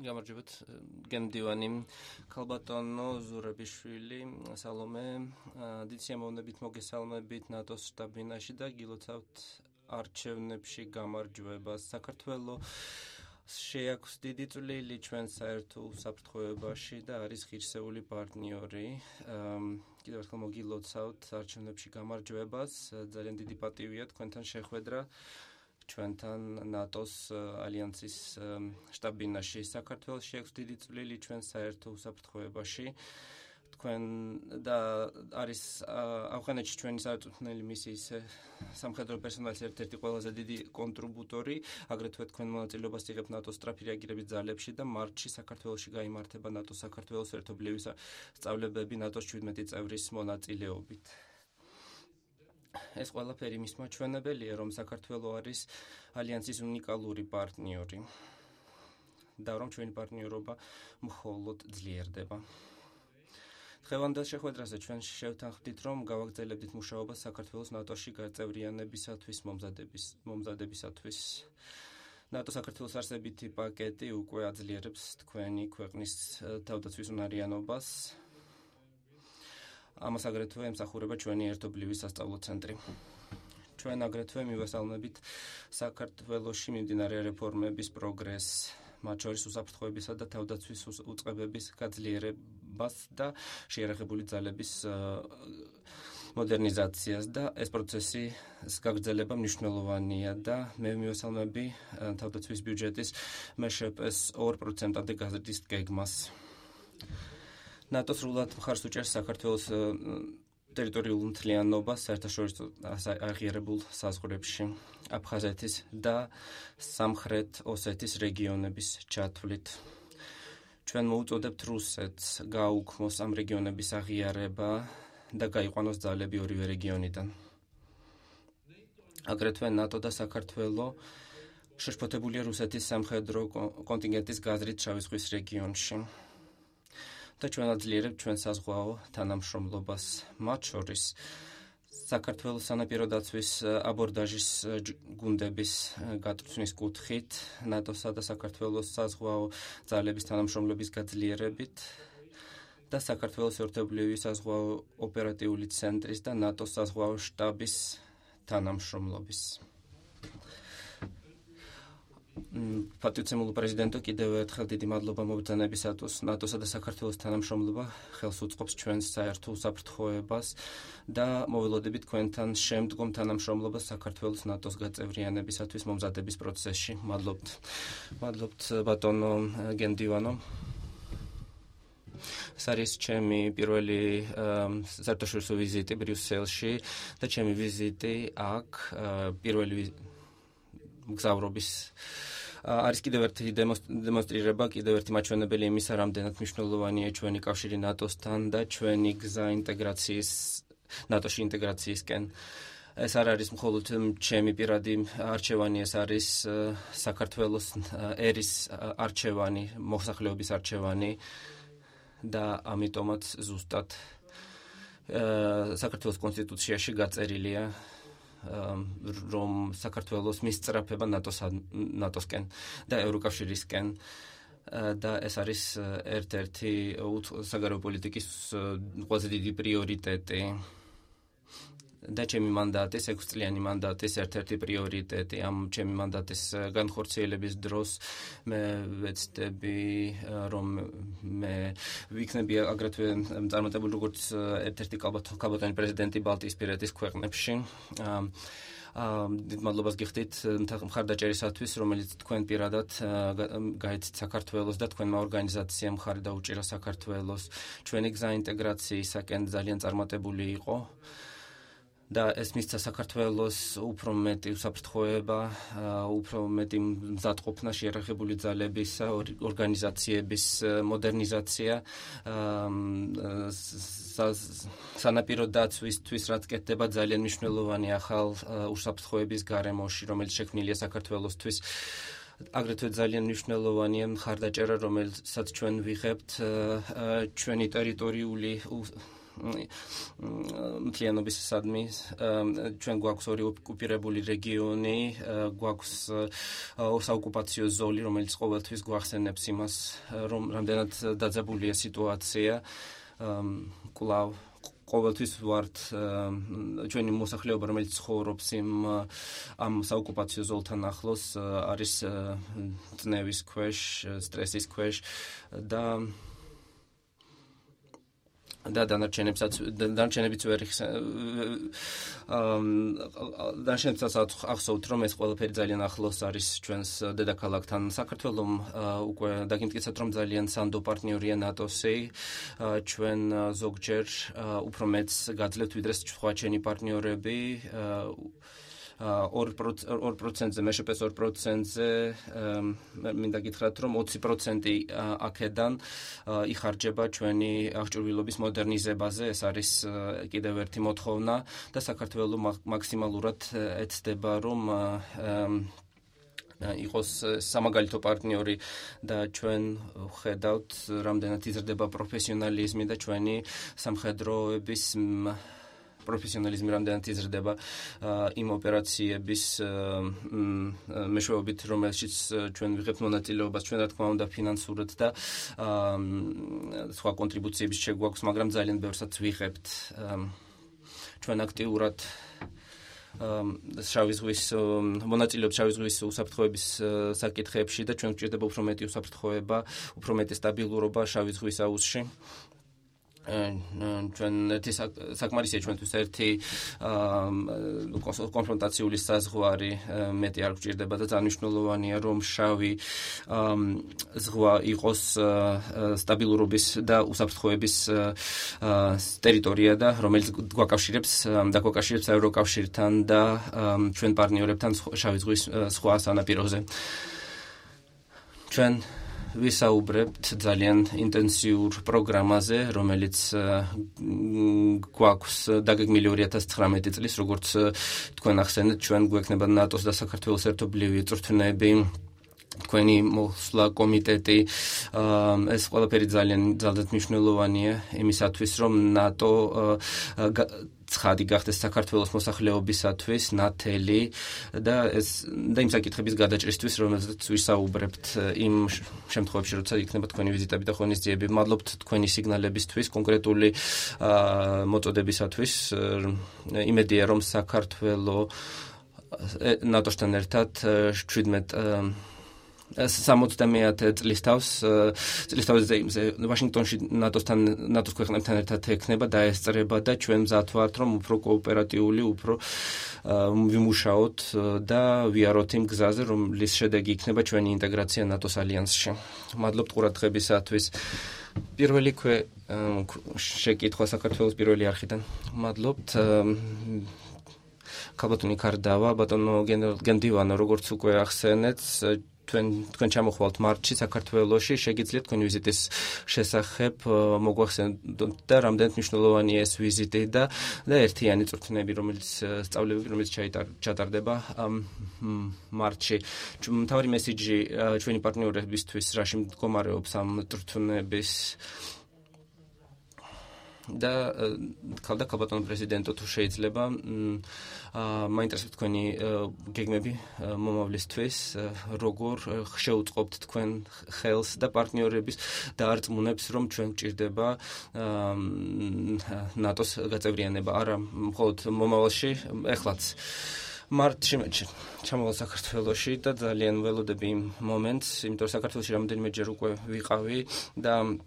გამარჯობათ გემდივანი ქალბატონო ზურაბიშვილი სალომე დიდ სიამოვნებით მოგესალმებით ნატოს შტაბ-ბინაში და გილოცავთ არჩევნებში გამარჯვებას საქართველოს შეაქვს დიდი წვლილი ჩვენ საერთო უსაფრთხოებაში და არის ღირსეული პარტნიორი კიდევ ერთხელ მოგილოცავთ არჩევნებში გამარჯვებას ძალიან დიდი პატივია თქვენთან შეხვედრა ჩვენთან ნატოს ალიანსის შტაბ-ბინაში საქართველოში აქვს დიდი წვლილი ჩვენ საერთო უსაფრთხოებაში თქვენ და არის ავღანეთში ჩვენი სარწმუნოების მისიის სამხედრო პერსონალის ერთ-ერთი ყველაზე დიდი კონტრიბუტორი აგრეთვე თქვენ მონაწილეობას იღებთ ნატოს სწრაფი რეაგირების ძალებში და მარტში საქართველოში გაიმართება ნატოს საქართველოს ერთობლივი სწავლებები ნატოს 17 წევრის მონაწილეობით ეს ყველაფერი მის მაჩვენებელია, რომ საქართველო არის ალიანსის უნიკალური პარტნიორი და რომ ჩვენი პარტნიორობა მხოლოდ ძლიერდება. დღევანდელ შეხვედრაზე ჩვენ შევთანხმდით, რომ გავაგრძელებდით მუშაობას საქართველოს ნატოში გაწევრიანებისათვის მომზადებისათვის. ნატო საქართველოს არსებითი პაკეტი უკვე აძლიერებს თქვენი ქვეყნის თავდაცვის უნარიანობას. ამას აგრეთვე ემსახურება ჩვენი ერთობლივი სასწავლო ცენტრი. ჩვენ აგრეთვე მივესალმებით საქართველოში მიმდინარე რეფორმების პროგრესს, მათ შორის უსაფრთხოებისა და თავდაცვის უწყებების გაძლიერებას და შეიარაღებული ძალების მოდერნიზაციას და ეს პროცესის გაგრძელება მნიშვნელოვანია და მე მივესალმები თავდაცვის ბიუჯეტის MŠP-ს 2%-ამდე გაზრდის გეგმას. ნატო სრულად მხარს უჭერს საქართველოს ტერიტორიულ მთლიანობას საერთაშორისო აღიარებულ საზღვრებში, აფხაზეთის და სამხრეთ ოსეთის რეგიონების ჩათვლით. ჩვენ მოუწოდებთ რუსეთს გააუქმოს ამ რეგიონების აღიარება და გაიყვანოს ძალები ორივე რეგიონიდან. აგრეთვე ნატო და საქართველო შეშფოთებულია რუსეთის სამხედრო კონტინგენტის გაზრით შავი ზღვის რეგიონში. და ჩვენ აძლიერებთ ჩვენ საზღვაო თანამშრომლობას, მათ შორის საქართველოს სანაპირო დაცვის აბორდაჟის გუნდების გაწვრთნის კუთხით, ნატოსა და საქართველოს საზღვაო ძალების თანამშრომლობის გაძლიერებით და საქართველოს ერთობლივი საზღვაო ოპერატიული ცენტრის და ნატოს საზღვაო შტაბის თანამშრომლობის. პატივცემულო პრეზიდენტო, კიდევ ერთხელ დიდი მადლობა მობრძანებისათვის. ნატოსა და საქართველოს თანამშრომლობა ხელს უწყობს ჩვენს საერთო უსაფრთხოებას და მოველოდებით თქვენთან შემდგომ თანამშრომლობას საქართველოს ნატოს გაწევრიანებისათვის მომზადების პროცესში. მადლობთ ბატონო გემდივანო. ეს არის ჩემი პირველი საერთაშორისო ვიზიტი ბრიუსელში და ჩემი ვიზიტი აქ პირველი მგზავრობის არის კიდევ ერთი დემონსტრირება, კიდევ ერთი მაჩვენებელი იმისა, რამდენად მნიშვნელოვანია ჩვენი კავშირი ნატოსთან და ჩვენი გზა ნატოში ინტეგრაციისკენ. ეს არ არის მხოლოდ ჩემი პირადი არჩევანი, ეს არის საქართველოს ერის არჩევანი, მოსახლეობის არჩევანი და ამიტომაც ზუსტად საქართველოს კონსტიტუციაში გაწერილია რომ საქართველოს მისწრაფება ნატოსკენ და ევროკავშირისკენ და ეს არის ერთ-ერთი საგარეო პოლიტიკის ყველაზე დიდი პრიორიტეტი და ჩემი მანდატის 6 წლიანი მანდატის ერთ-ერთი პრიორიტეტი ამ ჩემი მანდატის განხორციელების დროს მე ვეცდები რომ მე ვიქნები აგრეთვე წარმატებული როგორც ერთ-ერთი კალბატონი პრეზიდენტი ბალტიისპირეთის ქვეყნებში დიდ მადლობას გიხდით მხარდაჭერისათვის, რომელიც თქვენ პირადად გაიცით საქართველოს და თქვენმა ორგანიზაციამ მხარი დაუჭირა საქართველოს ჩვენი გზა ინტეგრაციისაკენ ძალიან წარმატებული იყო. და ეს მისცა საქართველოს უფრო მეტი უსაფრთხოება, უფრო მეტი მზადყოფნა შეიარაღებული ძალების ორგანიზაციების მოდერნიზაცია, სანაპირო დაცვისთვის, რაც კეთდება ძალიან მნიშვნელოვანი ახალ უსაფრთხოების გარემოში, რომელიც შექმნილია საქართველოსთვის. აგრეთვე ძალიან მნიშვნელოვანია მხარდაჭერა, რომელსაც ჩვენ ვიღებთ ჩვენი ტერიტორიული მთლიანობის სადმი ჩვენ გვაქვს ორი ოკუპირებული რეგიონი, გვაქვს საოკუპაციო ზოლი, რომელიც ყოველთვის გვახსენებს იმას, რომ რამდენად დაძაბულია სიტუაცია. კვლავ ყოველთვის ვართ ჩვენი მოსახლეობა, რომელიც ცხოვრობს ამ საოკუპაციო ზოლთან ახლოს, არის წნევის ქვეშ, სტრესის ქვეშ და დანარჩენებიც ვერ დანარჩენებსაც ახსოვთ, რომ ეს ყველაფერი ძალიან ახლოს არის ჩვენს დედაქალაქთან. საქართველომ უკვე დაგიმტკიცეთ, რომ ძალიან სანდო პარტნიორია ნატოსი. ჩვენ ზოგჯერ უფრო მეც გაძლევთ ვიდრე სხვა ჩვენი პარტნიორები. 2%-ზე, მეშეპეს 2%-ზე მინდა გითხრათ, რომ 20% აქედან იხარჯება ჩვენი აღჭურვილობის მოდერნიზებაზე. ეს არის კიდევ ერთი მოთხოვნა და საქართველო მაქსიმალურად ეცდება, რომ იყოს სამაგალითო პარტნიორი და ჩვენ ვხედავთ, რამდენად იზრდება პროფესიონალიზმი და ჩვენი სამხედროების პროფესიონალიზმი რამდენად იზრდება იმ ოპერაციების მეშვეობით, რომელშიც ჩვენ ვიღებთ მონაწილეობას, ჩვენ რა თქმა უნდა ფინანსურად და სხვა კონტრიბუციების შეგვაქვს, მაგრამ ძალიან ბევრსაც ვიღებთ. ჩვენ აქტიურად შავი ზღვის მონაწილეობთ შავი ზღვის უსაფრთხოების საკითხებში და ჩვენ გვჭირდება უფრო მეტი უსაფრთხოება, უფრო მეტი სტაბილურობა შავი ზღვის აუზში. ჩვენ ერთი საკმარისია ჩვენთვის ერთი კონფრონტაციული საზღვარი მეტი არ გვჭირდება და ძალიან მნიშვნელოვანია, რომ შავი ზღვა იყოს სტაბილურობის და უსაფრთხოების ტერიტორია და რომელიც გვაკავშირებს ევროკავშირთან და ჩვენ პარტნიორებთან შავი ზღვის სხვა სანაპიროზე. ჩვენ ვისაუბრებთ ძალიან ინტენსიურ პროგრამაზე, რომელიც გვაქვს დაგეგმილი 2019 წლის, როგორც თქვენ ახსენეთ, ჩვენ გვექნება ნატოს და საქართველოს ერთობლივი წვრთნები, თქვენი მოსვლა კომიტეტი, ეს ყველაფერი ძალიან მნიშვნელოვანია იმისათვის, რომ ნატო ცხადი გახდეს საქართველოს მოსახლეობისათვის, ნათელი და იმ საკითხების გადაჭრისთვის, რომელზეც ვისაუბრებთ იმ შემთხვევებში, როცა იქნება თქვენი ვიზიტები და ღონისძიებები. მადლობთ თქვენი სიგნალებისთვის, კონკრეტული მოწოდებისათვის. იმედია, რომ საქართველო ნატოსთან ერთად 70 წლის თავზე ვაშინგტონში ნატოს ქვეყნებთან ერთად ექნება და ესწრება და ჩვენ მზად ვართ, რომ უფრო კოოპერატიული, უფრო ვიმუშაოთ და ვიაროთ იმ გზაზე, რომლის შედეგი იქნება ჩვენი ინტეგრაცია ნატოს ალიანსში. მადლობთ ყურადღებისათვის. პირველი შეკითხვა საქართველოს პირველი არხიდან. მადლობთ. ქალბატონი კარდავა, ბატონო გენდივანო, როგორც უკვე ახსენეთ, თქვენ ჩამოხვალთ მარტში საქართველოში, შეგიძლიათ თქვენი ვიზიტის შესახებ მოგვახსენოთ და რამდენად მნიშვნელოვანია ეს ვიზიტი და ერთიანი წვრთნები, სწავლებები, რომელიც ჩატარდება მარტში. მთავარი მესიჯი ჩვენი პარტნიორებისთვის რაში მდგომარეობს ამ წვრთნების და ქალბატონო პრეზიდენტო, თუ შეიძლება მაინტერესებს თქვენი გეგმები მომავლისთვის, როგორ შეუწყობთ თქვენ ხელს და პარტნიორების დაარწმუნებს, რომ ჩვენ გვჭირდება ნატოს გაწევრიანება, არა მხოლოდ მომავალში, ეხლაც. მარტში ჩამოვალ საქართველოში და ძალიან ველოდები იმ მომენტს, იმიტომ რომ საქართველოში რამდენიმეჯერ უკვე ვიყავი და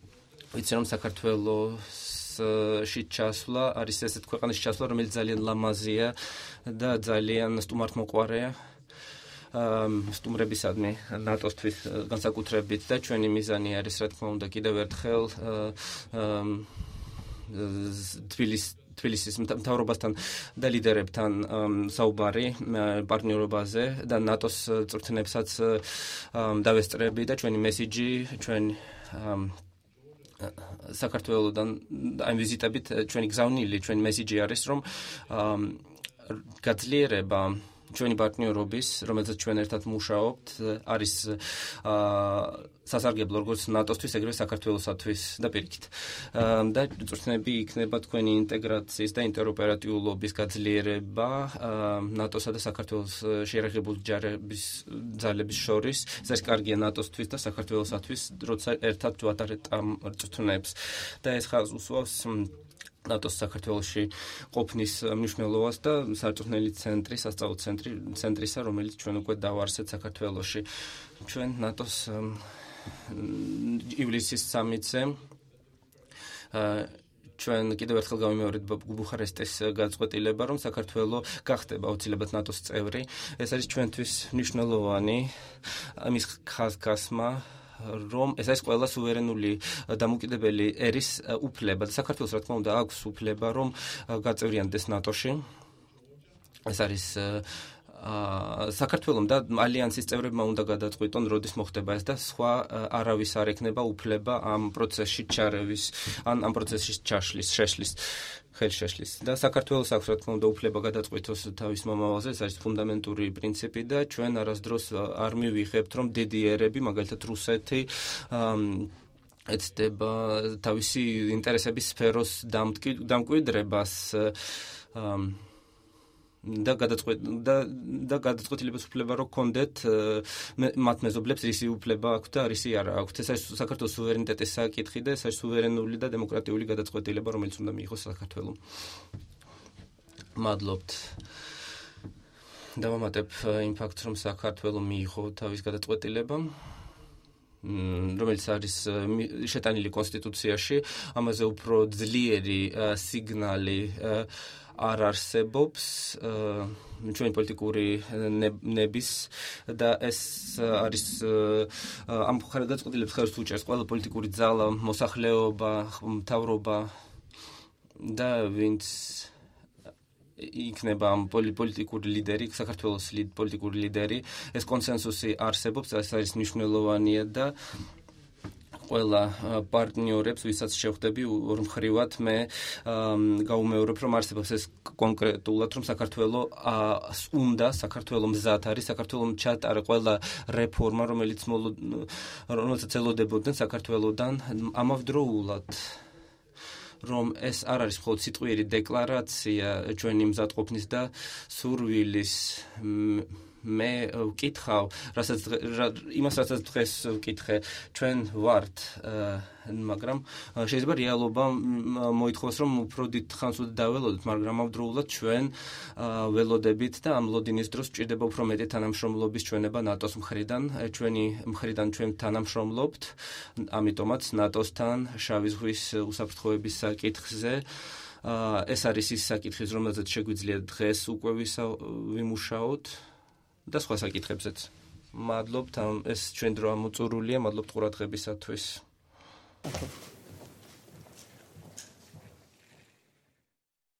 ვიცი, რომ საქართველოში ჩასვლა არის ესეთ ქვეყანაში ჩასვლა, რომელიც ძალიან ლამაზია და ძალიან სტუმართმოყვარეა. სტუმრებისადმი ნატოსთვის განსაკუთრებით და ჩვენი მიზანი არის, რა თქმა უნდა, კიდევ ერთხელ თბილისის მთავრობასთან და ლიდერებთან საუბარი პარტნიორობაზე და ნატოს წვრთნებსაც დავესწრები და ჩვენი მესიჯი, საქართველოდან ამ ვიზიტებით ჩვენი გზავნილი, ჩვენი მესიჯი არის, რომ გაძლიერება ჩვენი პარტნიორობის, რომელზეც ჩვენ ერთად მუშაობთ, არის სასარგებლო როგორც ნატოსთვის, ეგრევე საქართველოსთვის და პირიქით. და წვრთნები იქნება თქვენი ინტეგრაციის და ინტეროპერატიულობის გაძლიერება ნატოსა და საქართველოს შეიარაღებული ძალების შორის. ეს არის კარგია ნატოსთვის და საქართველოსთვის, როცა ერთად ვატარებთ ამ წვრთნებს. და ეს ხაზს უსვავს ნატოს საქართველოში ყოფნის მნიშვნელობას და სარწმუნოების ცენტრი, სასწავლო ცენტრისა, რომელიც ჩვენ უკვე დავარსეთ საქართველოში. ჩვენ ნატოს ივლისის 3-ზე ჩვენ კიდევ ერთხელ გავიმეორებთ ბუხარესტის გაწყვეტილება, რომ საქართველო გახდება აუცილებლად ნატოს წევრი. ეს არის ჩვენთვის მნიშვნელოვანი ამის ხაზგასმა, რომ ეს არის ყველა სუვერენული დამოუკიდებელი ერის უფლება და საქართველოს რა თქმა უნდა აქვს უფლება, რომ გაწევრიანდეს ნატოში. ეს არის საქართველოს და ალიანსის წევრებმა უნდა გადაწყვიტონ, როდის მოხდება ეს და სხვა არავის არ ექნება უფლება ამ პროცესში ჩარევის, ამ პროცესში შეშლის. ხელშეშლის და საქართველოს აქვს რა თქმა უნდა უფლება გადაწყვიტოს თავის მომავალზე, ეს არის ფუნდამენტური პრინციპი და ჩვენ არასდროს არ მივიღებთ, რომ დიდი ერები, მაგალითად რუსეთი ეცდება თავისი ინტერესების სფეროს დამკვიდრებას და გადაწყვეტილების უფლება რო გქონდეთ მათ მეზობლებს რისი უფლება აქვთ და რისი არა აქვთ. ეს არის საქართველოს სუვერენიტეტის საკითხი და ეს არის სუვერენული და დემოკრატიული გადაწყვეტილება, რომელიც უნდა მიიღოს საქართველოს. მადლობთ. დავამატებ იმ ფაქტს, რომ საქართველოს მიიღო თავის გადაწყვეტილება, რომელიც არის შეტანილი კონსტიტუციაში, ამაზე უფრო ძლიერი სიგნალი არ არსებობს ჩვენი პოლიტიკური ნების და ეს არის ამ გადაწყვეტილებას ხელს უჭერს ყველა პოლიტიკური ძალა, მოსახლეობა, მთავრობა და ვინც იქნება ამ პოლიტიკური ლიდერი, საქართველოს პოლიტიკური ლიდერი, ეს კონსენსუსი არსებობს, ეს არის მნიშვნელოვანია და ყველა პარტნიორებს, ვისაც შევხვდები ორმხრივად, მე გაუმეორებ, რომ არსებობს ეს კონკრეტულად, რომ საქართველოს მზად არის, საქართველოს ჩატარა ყველა რეფორმა, რომელსაც ელოდებოდნენ საქართველოსდან ამავდროულად. რომ ეს არ არის მხოლოდ სიტყვიერი დეკლარაცია ჩვენი მზადყოფნის და სურვილის. მე ვკითხავ, რასაც დღეს ვკითხე, ჩვენ ვართ, მაგრამ შეიძლება რეალობა მოითხოვოს, რომ უფრო დიდ ხანს დაველოდოთ, მაგრამ ამავდროულად ჩვენ ველოდებით და ამ ლოდინის დროს გვჭირდება უფრო მეტი თანამშრომლობის ჩვენება ნატოს მხრიდან, ჩვენი მხრიდან ჩვენ თანამშრომლობთ, ამიტომაც ნატოსთან შავი ზღვის უსაფრთხოების საკითხზე. ეს არის ის საკითხი, რომელზეც შეგვიძლია დღეს უკვე ვიმუშაოთ. და სხვა საკითხებზეც. მადლობთ, ეს ჩვენ დრო ამოწურულია, მადლობთ ყურადღებისათვის.